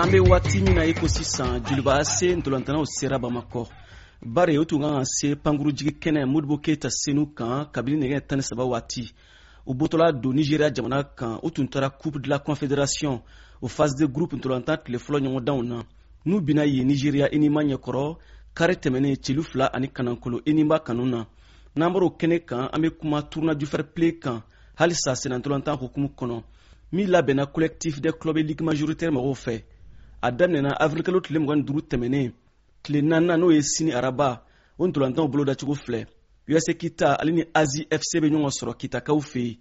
An bɛ waati min na i ko sisan, Joliba AC ntolantanaw sera Bamakɔ, bari u tun kan ka se pankurujigi kɛnɛ Modibo Keyita Senu kan kabini nɛgɛ 13 waati. U bɔtɔla don Nigéria jamana kan, u tun taara Coupe de la Confédération o phase de groupe ntolantan tile fɔlɔ ɲɔgɔndanw na. N'u binna yen Nigéria Enyimba ɲɛkɔrɔ kari tɛmɛnen, celu 2 ani kanankolo Enyimba kanu na. N'an bɔr'o kɛnɛ kan, an bɛ kuma Tournoi du fair play kan halisa sennantolatan hukumu kɔnɔ, min labɛnna Collectif des clubs ligue majoritaire mɔgɔw fɛ. A daminɛna avril tile 25 tɛmɛnen. Tile naaninan, n'o ye sini araba, o ntolantanw bolodacogo filɛ: USA Kita ale ni Azi FC bɛ ɲɔgɔn sɔrɔ Kitakaw fɛ yen.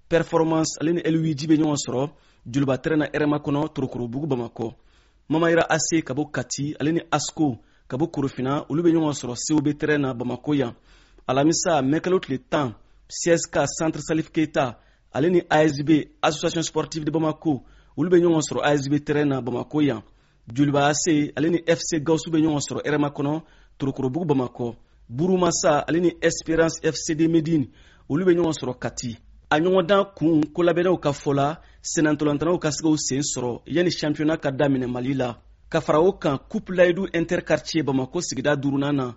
Performance ale ni Luigi bɛ ɲɔgɔn sɔrɔ Joliba terrain na Rma kɔnɔ, Torokorobugu, Bamakɔ. Mamayira AC ka bɔ Kati, ale ni ASCO ka bɔ Korofina, olu bɛ ɲɔgɔn sɔrɔ COB terrain na Bamakɔ yan. Alamisa, mɛkalo tile 10, CSK Centre Salif Keita ale ni ASB Association Sportive de Bamako, olu bɛ ɲɔgɔn sɔrɔ ASB terrain na Bamakɔ yan. Joliba AC ale ni FC Gawusu bɛ ɲɔgɔn sɔrɔ Rma kɔnɔ, Torokorobugu, Bamakɔ. Burumasa ale ni Espérance FC de Médine, olu bɛ ɲɔgɔn sɔrɔ Kati. A ɲɔgɔndan kun, kolabɛnnaw ka fɔ la, sennantolantanaw ka se k'u sen sɔrɔ yanni championnat ka daminɛ Mali la. Ka fara o kan, Coupe Layidu interquartier Bamakɔ sigida duurunan na,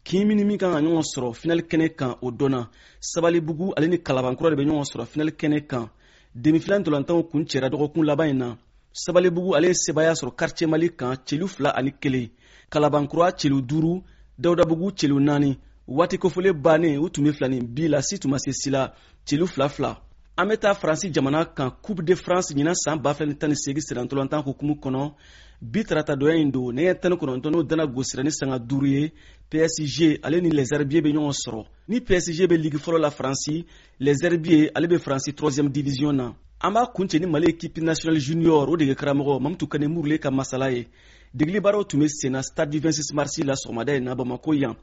kin min ni min kan ka ɲɔgɔn sɔrɔ finali kɛnɛ kan, o dɔnna. Sabalibugu ale ni Kalabankura de bɛ ɲɔgɔn sɔrɔ finali kɛnɛ kan. Demi-finale ntolantanw kun cɛra dɔgɔkun laban in na. Sabalibugu ale ye sebaaya sɔrɔ Quartier Mali kan, celu 2 ani 1. Kalabankura celu 5, Dawudabugu celu 4. Waati kofɔlen bannen, u tun bɛ filani bi la, si tun ma se si la, celu 2-2. An bɛ taa Faransi jamana kan, Coupe de France ɲinan san 2018 sennantolatan hukumu kɔnɔ. Bi tarata dɔya in don, nɛgɛ 19, n'o dana gosira ni sanga 5 ye, PSG ale ni Les Herbiers bɛ ɲɔgɔn sɔrɔ. Ni PSG bɛ ligue fɔlɔ la Faransi, Les Herbiers ale bɛ Faransi 3e division na. An b'a kuncɛ ni Mali équipe nationale junior, o dege karamɔgɔ Mamutu Kane Murule ka masala ye. Degeli baaraw tun bɛ senna stade du 26 mars la sɔgɔmada in na Bamako yan.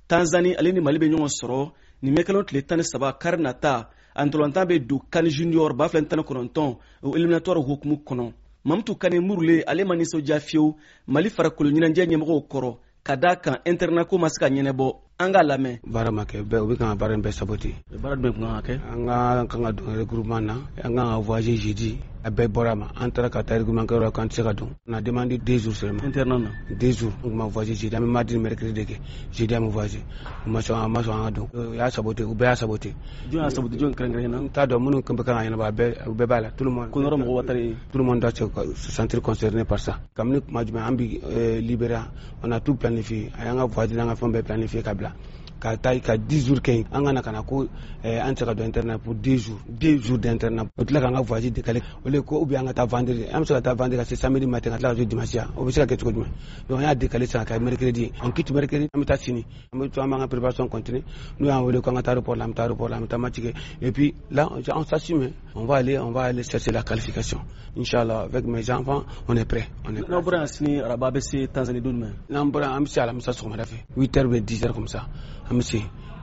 Tanzanie ale ni Mali bɛ ɲɔgɔn sɔrɔ nin mɛkalo tile 13, kari nata. A ntolantan bɛ don CAN junior 2019, o éliminatoire hukumu kɔnɔ. Mamutu Kane Murule ale ma nisɔndiya fiyewu Mali farikolo ɲɛnajɛ ɲɛmɔgɔw kɔrɔ, ka d'a kan internat ko ma se ka ɲɛnɛbɔ. An k'a lamɛn. Baara ma kɛ bɛɛ, u bɛ kan ka baara in bɛɛ saboter. Baara jumɛn kun kan ka kɛ? An ka kan ka don regroupement na, an kan ka voyager jeudi, a bɛɛ bɔra ma. An taara ka taa regroupement kɛyɔrɔ la k'an tɛ se ka don. On a demandé 2 jours seulement. Internat na? 2 jours. An tun ma voyager jeudi, an bɛ mardi ni mercredi de kɛ. Jeudi an bɛ voyager, u ma sɔn, an ma sɔn an ka don. U y'a saboter, u bɛɛ y'a saboter. Jɔn y'a saboter? Jɔn kɛrɛnkɛrɛnnen na? N t'a dɔn minnu bɛ kan ka ɲɛnabɔ, a bɛɛ, u bɛɛ b'a la, tout le monde. Ko yɔrɔ mɔgɔ watari. Tout le monde doit se sentir concerné par ça. Kabini kuma jumɛn an bi libéré, on a tout planifié, a y'an ka voyage n'an ka fɛn bɛɛ planifié ka bila ka taa ka 10 jours kɛ yen. An ka na ka na ko an tɛ se ka don internat pour 2 jours, 2 jours d'internat. O tila k'an ka voyage décaler o le ko, ou bien an ka taa vendredi. An bɛ se ka taa vendredi ka se samedi matin, ka tila ka to dimanche yan, o bɛ se ka kɛ cogo jumɛn? Donc an y'a décaler sisan ka kɛ mercredi. On quitte mercredi, an bɛ taa sini, an bɛ to, an b'an ka préparation continuer. N'u y'an wele k'an ka taa aéroport la, an bɛ taa aéroport la, an bɛ taa match kɛ. Et puis là, on s'assume, on va aller chercher la qualification, inchallah. Avec mes enfants, on est prêt, on est prêt. N'aw bɔra yan sini araba, a bɛ se Tanzanie don jumɛn? N'an bɔra yan, an bɛ se alamisa sɔgɔmada fɛ, 8 heures ou bien 10 heures comme ça, an bɛ se.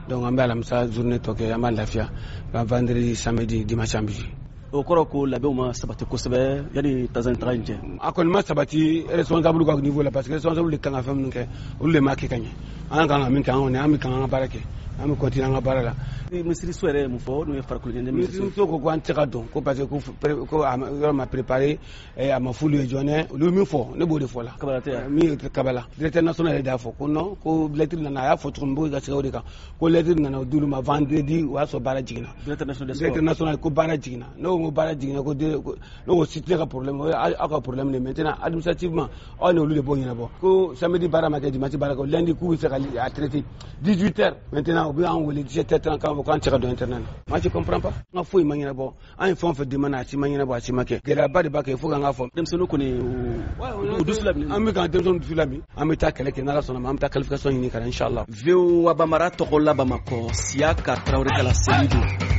Donc an bɛ alamisa journée tɔ kɛ, an b'a lafiya. Vendredi, samedi, dimanche, an bɛ jouer. O kɔrɔ ko labɛnw ma sabati kosɛbɛ yanni Tanzanie taga in cɛ? A kɔni ma sabati responsable ka niveau la, parce que responsable de kan ka fɛn minnu kɛ, olu de m'a kɛ ka ɲɛ. An kan ka min kɛ, an kɔni an bɛ kan an ka baara kɛ, an bɛ continuer an ka baara la. Minisiriso yɛrɛ ye mun fɔ, n'o ye farikolo ɲɛnajɛ minisiriso? Ko an tɛ se ka don ko parce que ko a yɔrɔ ma préparé, a ma f'olu ye joona. Olu ye min fɔ, ne b'o de fɔ la. Kabala tɛ yan? Min kabala, directeur national yɛrɛ de y'a fɔ ko non, ko lettre nana. A y'a fɔ cogo min, n b'o ka segin o de kan, ko lettre nana o d'olu ma vendredi, o y'a sɔrɔ baara jiginna. Directeur national des sports. Directeur national ko baara jiginna. Ne ko ko baara jiginna, ko ne ko si tɛ ne ka problème, o ye aw ka problème de. Maintenant, administrativement, aw ni olu de b'o ɲɛnabɔ. Ko samedi baara ma kɛ, dimanche baara kɛ, lundi k'u bɛ fɛ ka a traiter 18 heures. Maintenant, u bɛ an wele 17 heures 30 k'an fɔ k'an tɛ se ka don internat na. Moi, je comprends pas. N ka foyi ma ɲɛnabɔ. An ye fɛn o fɛn demande, a si ma ɲɛnabɔ, a si ma kɛ. Gɛlɛyaba de b'a kɛ, il faut k'an k'a fɔ. Denmisɛnninw kɔni, u dusu laminɛ. An bɛ k'an denmisɛnninw dusu lamin. An bɛ taa kɛlɛ kɛ, n'Ala sɔnna ma, an bɛ taa qualification ɲini ka na, inchallah. VOA Bambara tɔgɔ la Bamakɔ, Siyaka Tarawele ka laseli don.